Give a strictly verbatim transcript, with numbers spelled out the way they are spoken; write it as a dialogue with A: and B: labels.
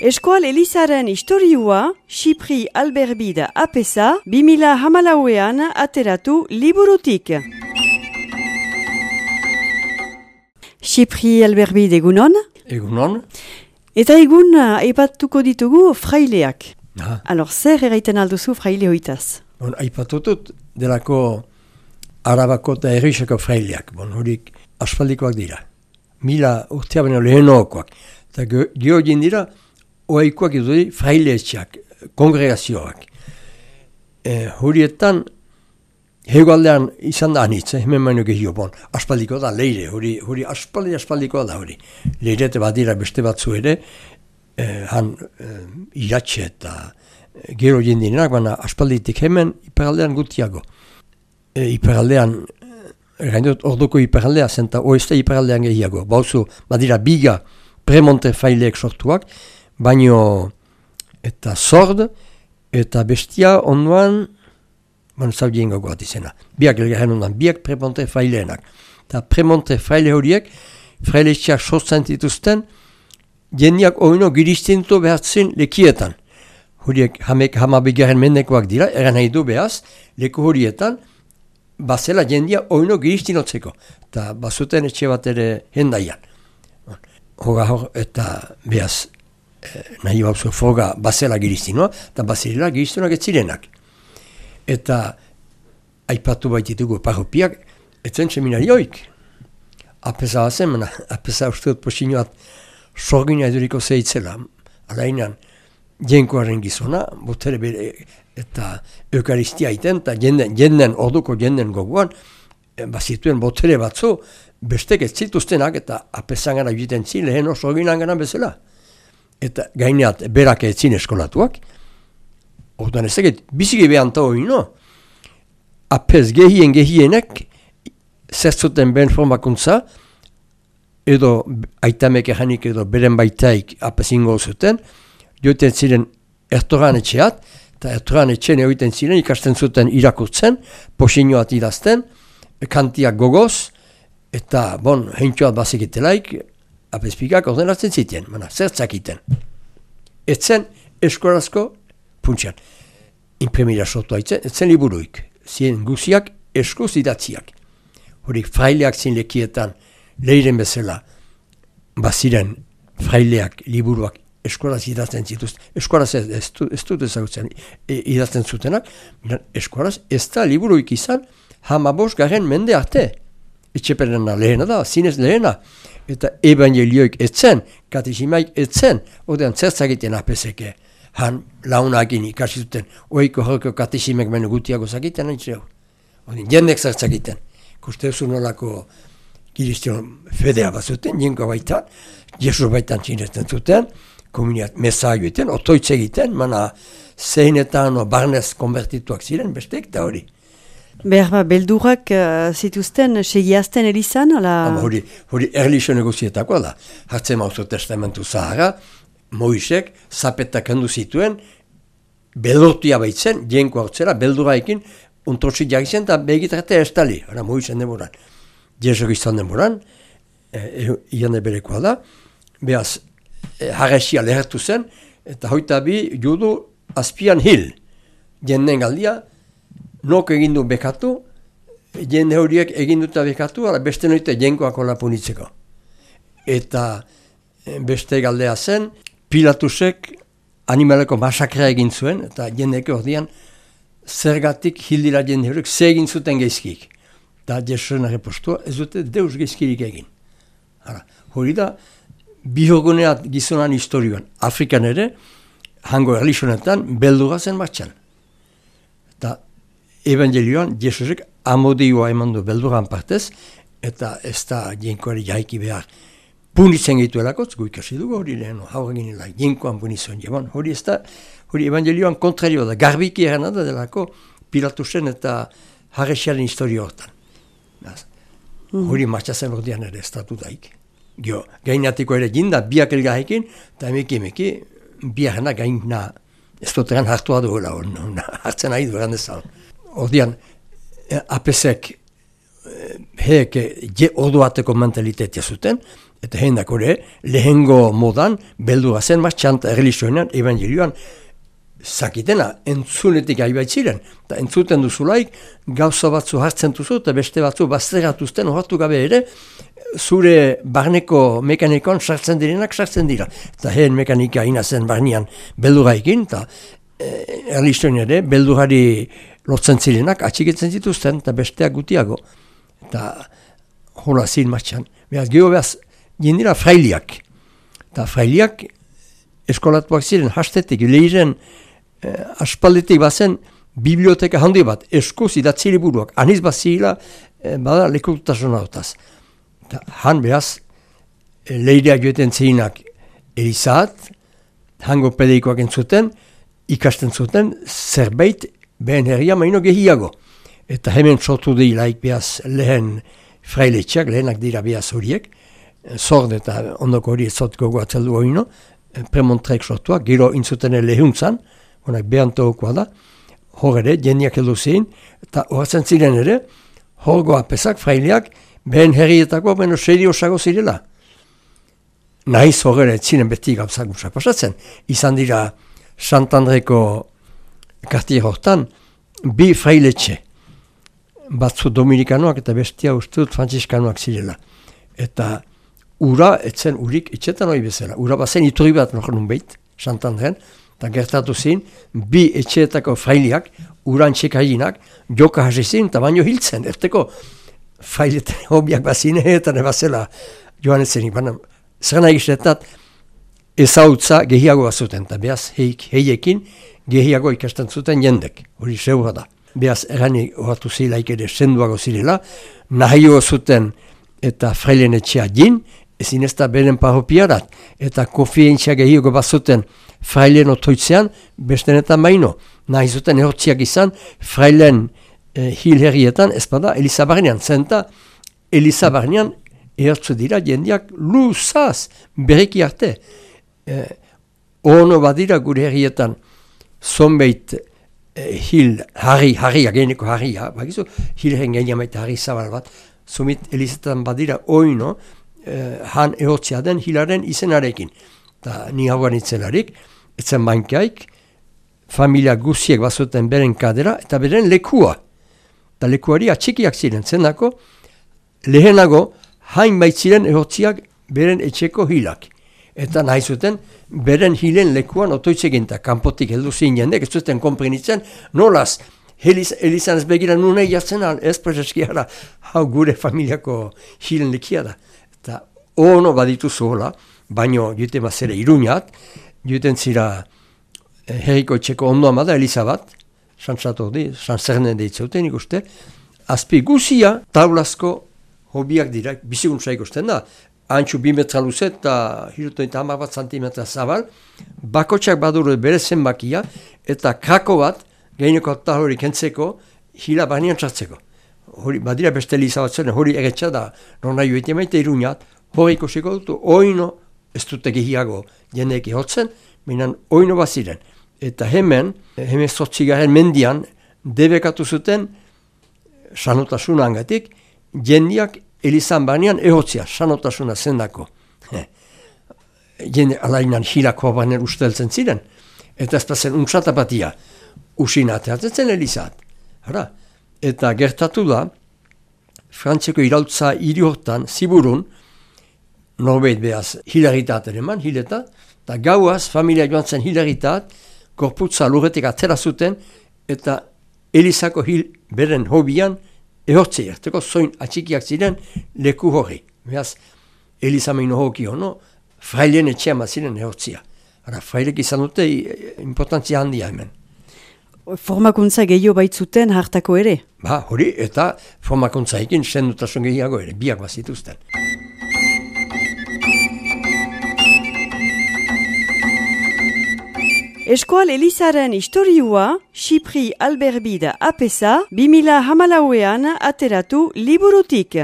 A: Eskual Elizaren historiua, Xipri Alberbide apesa, bimila hamalauean ateratu liburutik. Xipri Alberbide egunon?
B: Egunon.
A: Eta egun aipatuko ditugu fraileak.
B: Ah.
A: Alors, zer erraiten alduzu fraile hoitaz?
B: Bon, aipatutut delako arabako eta errixako fraileak. Bon, horik aspaldikoak dira. Mila urtea baino lehenokoak. Eta gio dira, oaikoak iduri fraileetxeak, kongregazioak. E, horietan, hegoaldean izan da anitz, hemen baino gehio, bon, aspaldiko da, leire, hori, hori aspaldi aspaldikoa da, hori. Leirete badira beste batzu ere, eh, han eh, iratxe eta gero jendinenak, baina aspalditik hemen iparaldean gutiago. E, iparaldean, gainot, orduko iparaldea zen, eta oeste iparaldean gehiago. Bauzu, badira biga premonte faileek sortuak, baino eta sord, eta bestia onduan, baina zaudien gogoat izena. Biak elgarren ondan, biak premonte faileenak. Eta premonte faile horiek, frailetxeak sortzen dituzten, jendiak oino giristintu behatzen lekietan. Horiek hamek hamabigarren mendekoak dira, eran nahi du behaz, leku horietan, bazela jendia oino giristinotzeko. Eta bazuten etxe bat ere hendaian. Hoga hor eta behaz eh, nahi bauzu froga bazela giristinoa, eta bazela giristunak etzirenak. Eta aipatu baititugu parropiak, etzen seminarioik. Apesa bazen, apesa uste dut posinoat sorgina eduriko zeitzela. Alainan, jenkoaren gizona, botere bere eta eukaristia iten, eta jenden, jenden, orduko jenden goguan, bazituen botere batzu, bestek ez zituztenak, eta apesan gara egiten zin, lehen oso ginan gana bezala. Eta gaineat, berak ez zin eskolatuak, orduan ez egit, biziki behanta hori, no? Apez gehien gehienek, zertzuten ben formakuntza, edo aitamek ejanik edo beren baitaik apezingo zuten, joiten ziren ertoran etxeat, eta ertoran etxean egiten ziren ikasten zuten irakurtzen, posinoat idazten, kantiak gogoz, eta bon, heintxoat bazikitelaik, apezpikak ordenatzen ziten, mana, zertzakiten. Etzen eskorazko puntxean. Imprimira sortu haitzen, etzen liburuik, zien guziak eskuz idatziak. Horik fraileak zin lekietan, leiren bezala, baziren fraileak, liburuak, eskoraz idazten zituzten. Eskoraz ez, ez, ez dut ezagutzen e, idazten zutenak, eskoraz ez da liburuik izan, hamabos garen mende arte. Etxeperena lehena da, zinez lehena. Eta evangelioik etzen, katesimaik etzen, odean zertzakiten apeseke. Han launakin ikasi zuten, oiko horko katesimek menu gutiago zakiten, odin jendek zertzakiten. Kuste zu nolako kiristion fedea bazuten, jenko baitan, Jesus baitan txinesten zuten, komuniat mesaio egiten, otoitz egiten, mana zeinetan o barnez konvertituak ziren, bestek da hori.
A: Behar ba, beldurak uh, zituzten segiazten elizan, ala?
B: Hori, hori erlixo negozietakoa da. Hartzen mauzo testamentu zahara, Moisek zapetak handu zituen, beldurtia baitzen, jenko hartzera, belduraekin, untrotxik jagitzen, eta begitrate estali, hori Moisen demoran. Jezok izan demoran, e, ian eberekoa da, behaz, e, harresia lehertu zen, eta hoita bi judu azpian hil. Jenden galdia, nok egindu bekatu, jende horiek eginduta bekatu, ala beste noite jenkoak hola punitzeko. Eta beste galdea zen, Pilatusek animaleko masakrea egin zuen, eta jendeke ordian, zergatik hildira jende horiek, ze egin zuten geizkik. Eta Jesusen arrepostua, ez dute deus geizkirik egin. Hala, hori da, bihoguneat gizonan historioan, Afrikan ere, hango erlixonetan, beldura zen martxan. Eta evangelioan, Jesusek amodioa eman du belduran partez, eta ez da jenkoari jaiki behar punitzen gehituelakotz, gu ikasi dugu hori lehen, haur egin nila, jenkoan punitzen jeban. Hori ez da, hori evangelioan kontrario da, garbiki eran da delako Pilatusen eta harresiaren historio hortan. Mm. Hori martxazen ordean ere estatu daik. Gio, gainatiko ere jinda, biak elgahekin, eta emeki emeki, biarena gaina, ez duteran hartua duela hori, hartzen nahi dueran ezan. Ordean, apesek, heke, je orduateko mentalitetia zuten, Eta hendak hori, lehengo modan, beldura zen martxan, eta erreligioenan, evangelioan, zakitena, entzunetik haibat ziren. Eta entzuten duzulaik, gauza batzu hartzen duzu, eta beste batzu bazteratuzten, horatu gabe ere, zure barneko mekanikoan sartzen direnak sartzen dira. Eta heen mekanika inazen barnean belduraikin, eta e, erreligioen ere, beldurari lotzen zirenak, atxikitzen zituzten, eta besteak gutiago. Eta hola zin martxan. Beraz, geho behaz, jendira frailiak. Eta frailiak eskolatuak ziren, hastetik, lehiren, eh, aspaldetik bazen, biblioteka handi bat, eskuz idatzi liburuak, aniz bat zirila, eh, bada lekututasun hautaz. Eta han behaz, eh, lehireak joeten zirenak Elizat, hango pedeikoak entzuten, ikasten zuten, zerbait behen herria maino gehiago. Eta hemen sortu dilaik behaz lehen frailetxeak, lehenak dira behaz horiek, zord eta ondoko hori ezotko guatzeldu hori, premontrek sortuak, gero intzuten lehuntzan, honak behantokoa da, hor ere, jendiak heldu ziren, eta horretzen ziren ere, horgo apesak, fraileak, behen herrietako, beno serio osago zirela. Nahiz hor ere, ziren beti gauzak gusak pasatzen. Izan dira, Santandreko kartier hortan, bi frailetxe, batzu dominikanoak eta bestia ustut frantziskanoak zirela. Eta ura, etzen urik, etxetan hori bezala. Ura bazen iturri bat nor nun behit, Santandren, eta gertatu zin, bi etxeetako fraileak, uran txekainak, joka hasi zin, eta baino hiltzen, erteko fraileten hobiak bazine, eta nebazela joan etzenik. Baina, zer nahi gizetat, ezautza gehiago bazuten, eta behaz heik, heiekin gehiago ikasten zuten jendek, hori zeura da. Behaz, erani horatu zilaik ere senduago zirela, nahio zuten eta frailen etxea jin, ezin ez da beren parropiarat, eta kofientzia gehiago bazuten frailen otoitzean, bestenetan baino. Nahi zuten ehortziak izan, frailen eh, hil herrietan, ez bada, Elizabarnean, zenta Elizabarnean ehortzu dira jendiak luzaz, bereki arte. Eh, ono badira gure herrietan, zonbeit eh, hil harri, harria, geneko harria, bakizu, hil herren geniamaita harri zabal bat, zumit Elizetan badira oino, eh, han ehortzia den hilaren izenarekin. Eta ni hauan itzelarik, etzen bankaik, familia guziek bazuten beren kadera, eta beren lekua. Eta lekuari atxikiak ziren, zenako, lehenago, hain baitziren ehortziak beren etxeko hilak. Eta nahi zuten, beren hilen lekuan otoitzekin, eta kanpotik heldu zin jendek, ez zuten komprenitzen, nolaz, Elizan ez begira nune jartzen al, ez prezeskiara, hau gure familiako hilen lekia da. Eta ono baditu zuhola, baino jute mazere iruñat, juten zira eh, herriko etxeko ondoan bada Eliza bat, santzatu di, santzernen deitzeuten ikuste, azpi guzia taulazko hobiak dira, bizikuntza ikusten da, antxu bi metra luze eta hirutoita hamar bat santimetra zabal, bakotxak baduru bere zenbakia, eta krako bat, gaineko eta hori kentzeko, hila barnean txartzeko. Hori, badira beste Eliza bat zen, hori egetxa da, non nahi joetia maite iruñat, hori ikusiko dutu, oino, ez dute gehiago jendeek ihotzen, minan oino bat ziren. Eta hemen, hemen zortzigaren mendian, debekatu zuten, sanotasuna angatik, jendeak Elizan barnean ehotzia, sanotasuna zendako. Jende alainan hilako barnean usteltzen ziren, eta ez pazen untsatapatia, usina teatzen Elizat. Hara, eta gertatu da, Frantzeko irautza hiri hortan, ziburun, norbeit behaz hilaritaten eman, hileta, eta gauaz familia joan zen hilaritat, korputza lurretik atera zuten, eta Elizako hil beren hobian ehortzei, erteko zoin atxikiak ziren leku hori. Behaz, Eliza meino hoki hono, frailen etxean bat ziren ehortzia. Hara, frailek izan dute importantzia handia hemen.
A: Formakuntza gehiago baitzuten hartako ere?
B: Ba, hori, eta formakuntza ekin sendutasun gehiago ere, biak bazituzten.
A: Eskoal Elizaren historiua, Xipri Alberbida apesa, bi mila hamalauean ateratu liburutik.